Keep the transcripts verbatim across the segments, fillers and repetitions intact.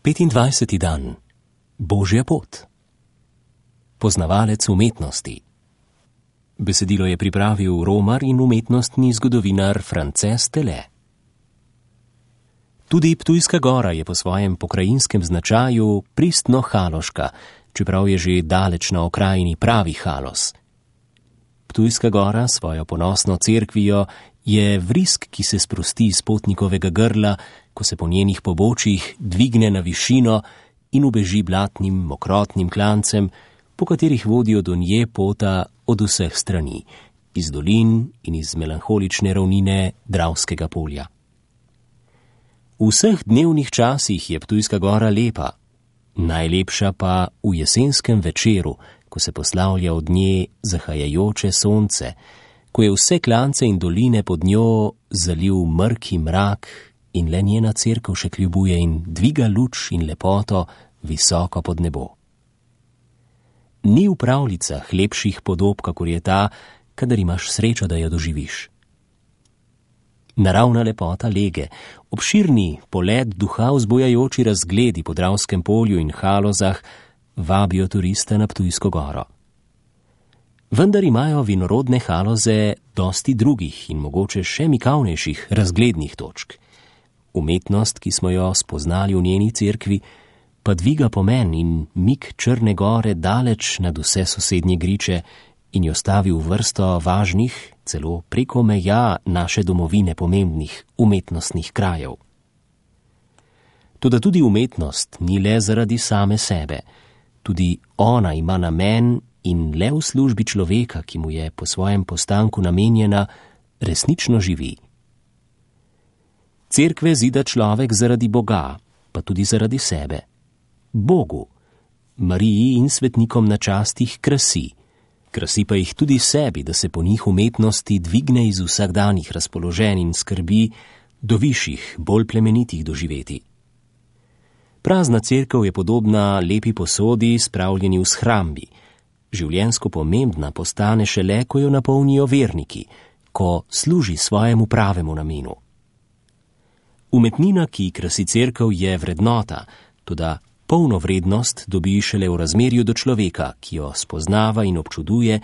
petindvajseti dan. Božja pot. Poznavalec umetnosti. Besedilo je pripravil romar in umetnostni zgodovinar Frances Tele. Tudi Ptujska gora je po svojem pokrajinskem značaju pristno haloška, čeprav je že daleč na okrajini pravi Halos. Ptujska gora svojo ponosno cerkvijo je vrisk, ki se sprosti iz potnikovega grla, ko se po njenih pobočjih dvigne na višino in ubeži blatnim, mokrotnim klancem, po katerih vodijo do nje pota od vseh strani, iz dolin in iz melanholične ravnine Dravskega polja. V vseh dnevnih časih je Ptujska gora lepa, najlepša pa v jesenskem večeru, ko se poslavlja od nje zahajajoče sonce, ko je vse klance in doline pod njo zalil mrki mrak in le njena cerkev še kljubuje in dviga luč in lepoto visoko pod nebo. Ni v pravljicah lepših podob, kakor je ta, kadar imaš srečo, da jo doživiš. Naravna lepota lege, obširni polet duha vzbujajoči razgledi po Dravskem polju in Halozah vabijo turista na Ptujsko goro. Vendar imajo vinorodne Haloze dosti drugih in mogoče še mikavnejših razglednih točk. Umetnost, ki smo jo spoznali v njeni cerkvi, pa dviga pomen in mik Črne gore daleč nad vse sosednje griče in jo stavi v vrsto važnih, celo preko meja naše domovine pomembnih umetnostnih krajev. Toda tudi umetnost ni le zaradi same sebe, tudi ona ima namen in le v službi človeka, ki mu je po svojem postanku namenjena, resnično živi. Cerkve zida človek zaradi Boga, pa tudi zaradi sebe. Bogu, Mariji in svetnikom na častih krasi, krasi pa jih tudi sebi, da se po njih umetnosti dvigne iz vsakdanjih razpoloženj in skrbi do višjih, bolj plemenitih doživeti. Prazna cerkev je podobna lepi posodi, spravljeni v shrambi. Življenjsko pomembna postane šele, ko jo napolnijo verniki, ko služi svojemu pravemu namenu. Umetnina, ki krasi cerkev, je vrednota, toda polno vrednost dobi šele v razmerju do človeka, ki jo spoznava in občuduje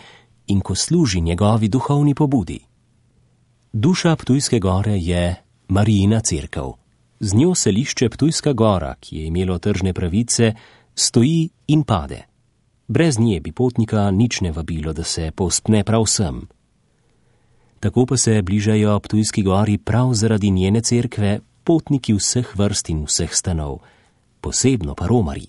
in ko služi njegovi duhovni pobudi. Duša Ptujske gore je Marijina cerkev. Z njo selišče Ptujska gora, ki je imelo tržne pravice, stoji in pade. Brez nje bi potnika nič ne vabilo, da se povzpne prav sem. Tako pa se bližajo Ptujski gori prav zaradi njene cerkve potniki vseh vrst in vseh stanov, posebno pa romarji.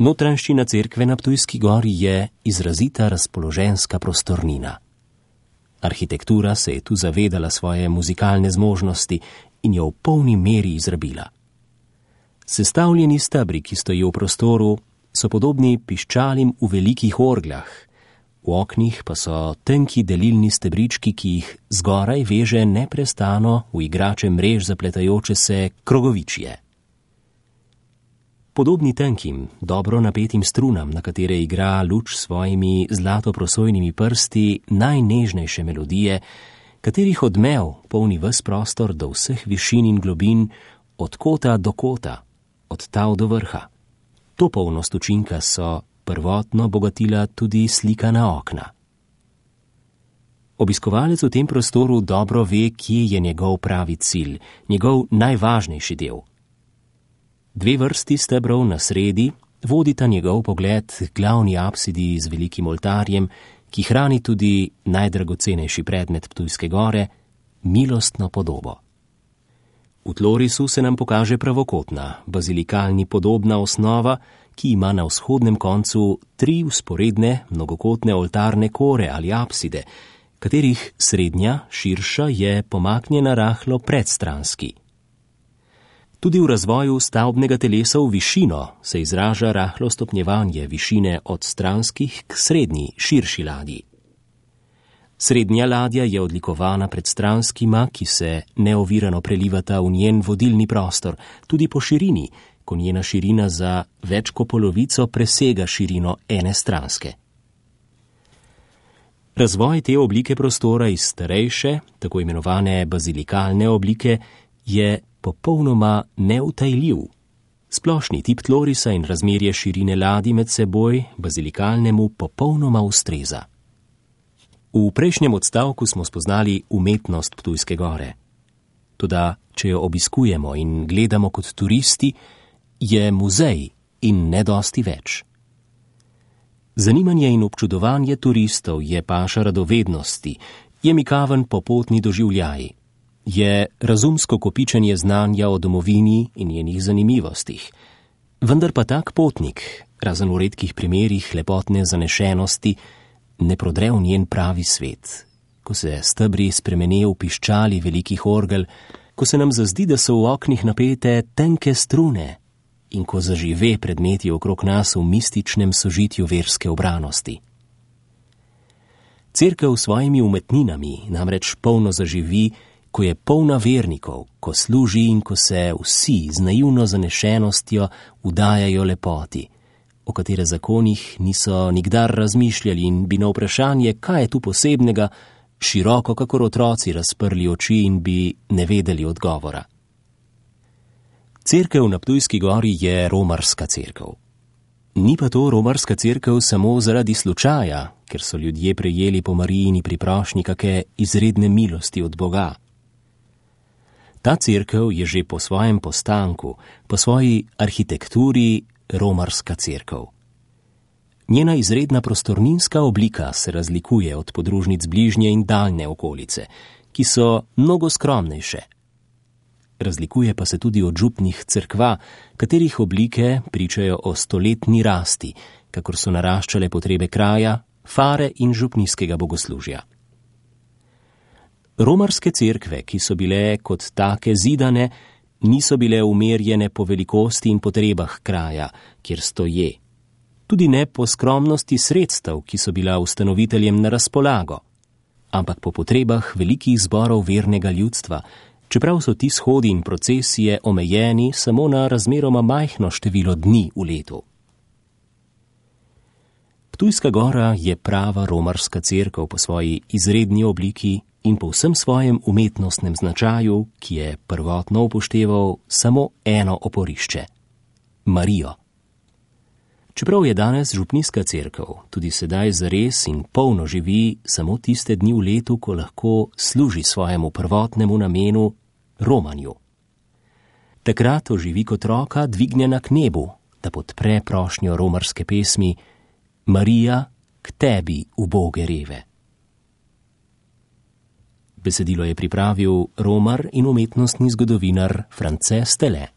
Notranjščina cerkve na Ptujski gori je izrazita razpoloženska prostornina. Arhitektura se je tu zavedala svoje muzikalne zmožnosti in jo v polni meri izrabila. Sestavljeni stebri, ki stojijo v prostoru, so podobni piščalim v velikih orgljah, v oknih pa so tenki delilni stebrički, ki jih zgoraj veže neprestano v igrače mrež zapletajoče se krogovičje. Podobni tenkim, dobro napetim strunam, na katere igra luč s svojimi zlatoprosojnimi prsti najnežnejše melodije, katerih odmev polni ves prostor do vseh višin in globin, od kota do kota, od tav do vrha. To polnost učinka so prvotno bogatila tudi slikana okna. Obiskovalec v tem prostoru dobro ve, kje je njegov pravi cilj, njegov najvažnejši del. Dve vrsti stebrov na sredi vodita njegov pogled k glavni apsidi z velikim oltarjem, ki hrani tudi najdragocenejši predmet Ptujske gore, milostno podobo. V tlorisu se nam pokaže pravokotna, bazilikalni podobna osnova, ki ima na vzhodnem koncu tri vzporedne, mnogokotne oltarne kore ali apside, katerih srednja, širša, je pomaknjena rahlo predstranski. Tudi v razvoju stavbnega telesa v višino se izraža rahlo stopnjevanje višine od stranskih k srednji, širši ladji. Srednja ladja je odlikovana pred stranskima, ki se neovirano prelivata v njen vodilni prostor, tudi po širini, ko njena širina za več kot polovico presega širino ene stranske. Razvoj te oblike prostora iz starejše, tako imenovane bazilikalne oblike, je popolnoma neutajljiv. Splošni tip tlorisa in razmerje širine ladi med seboj bazilikalnemu popolnoma ustreza. V prejšnjem odstavku smo spoznali umetnost Ptujske gore. Toda, če jo obiskujemo in gledamo kot turisti, je muzej in ne dosti več. Zanimanje in občudovanje turistov je paša radovednosti, je mikaven popotni doživljaj, je razumsko kopičenje znanja o domovini in njenih zanimivostih. Vendar pa tak potnik, razen v redkih primerih lepotne zanešenosti, ne prodre v njen pravi svet. Ko se stebri spremene v piščali velikih orgel, ko se nam zazdi, da so v oknih napete tenke strune in ko zažive predmeti okrog nas v mističnem sožitju verske obranosti. Cerkev s svojimi umetninami namreč polno zaživi, ko je polna vernikov, ko služi in ko se vsi z naivno zanešenostjo vdajajo lepoti, o katere zakonih niso nikdar razmišljali in bi na vprašanje, kaj je tu posebnega, široko kakor otroci razprli oči in bi ne vedeli odgovora. Cerkev na Ptujski gori je romarska cerkev. Ni pa to romarska cerkev samo zaradi slučaja, ker so ljudje prejeli po Marijini priprošnji kake izredne milosti od Boga. Ta cerkev je že po svojem postanku, po svoji arhitekturi romarska cerkev. Njena izredna prostorninska oblika se razlikuje od podružnic bližnje in daljne okolice, ki so mnogo skromnejše. Razlikuje pa se tudi od župnih cerkva, katerih oblike pričajo o stoletni rasti, kakor so naraščale potrebe kraja, fare in župnijskega bogoslužja. Romarske cerkve, ki so bile kot take zidane, niso bile umerjene po velikosti in potrebah kraja, kjer stoje. Tudi ne po skromnosti sredstev, ki so bila ustanoviteljem na razpolago, ampak po potrebah velikih zborov vernega ljudstva, čeprav so ti shodi in procesije omejeni samo na razmeroma majhno število dni v letu. Ptujska gora je prava romarska cerkev po svoji izredni obliki in po vsem svojem umetnostnem značaju, ki je prvotno upošteval samo eno oporišče – Marijo. Čeprav je danes župnijska cerkev tudi sedaj zares in polno živi samo tiste dni v letu, ko lahko služi svojemu prvotnemu namenu romanju. Takrat oživi kot roka dvignjena k nebu, da podpre prošnjo romarske pesmi Marija, k tebi, uboge reve. Besedilo je pripravil romar in umetnostni zgodovinar France Stele.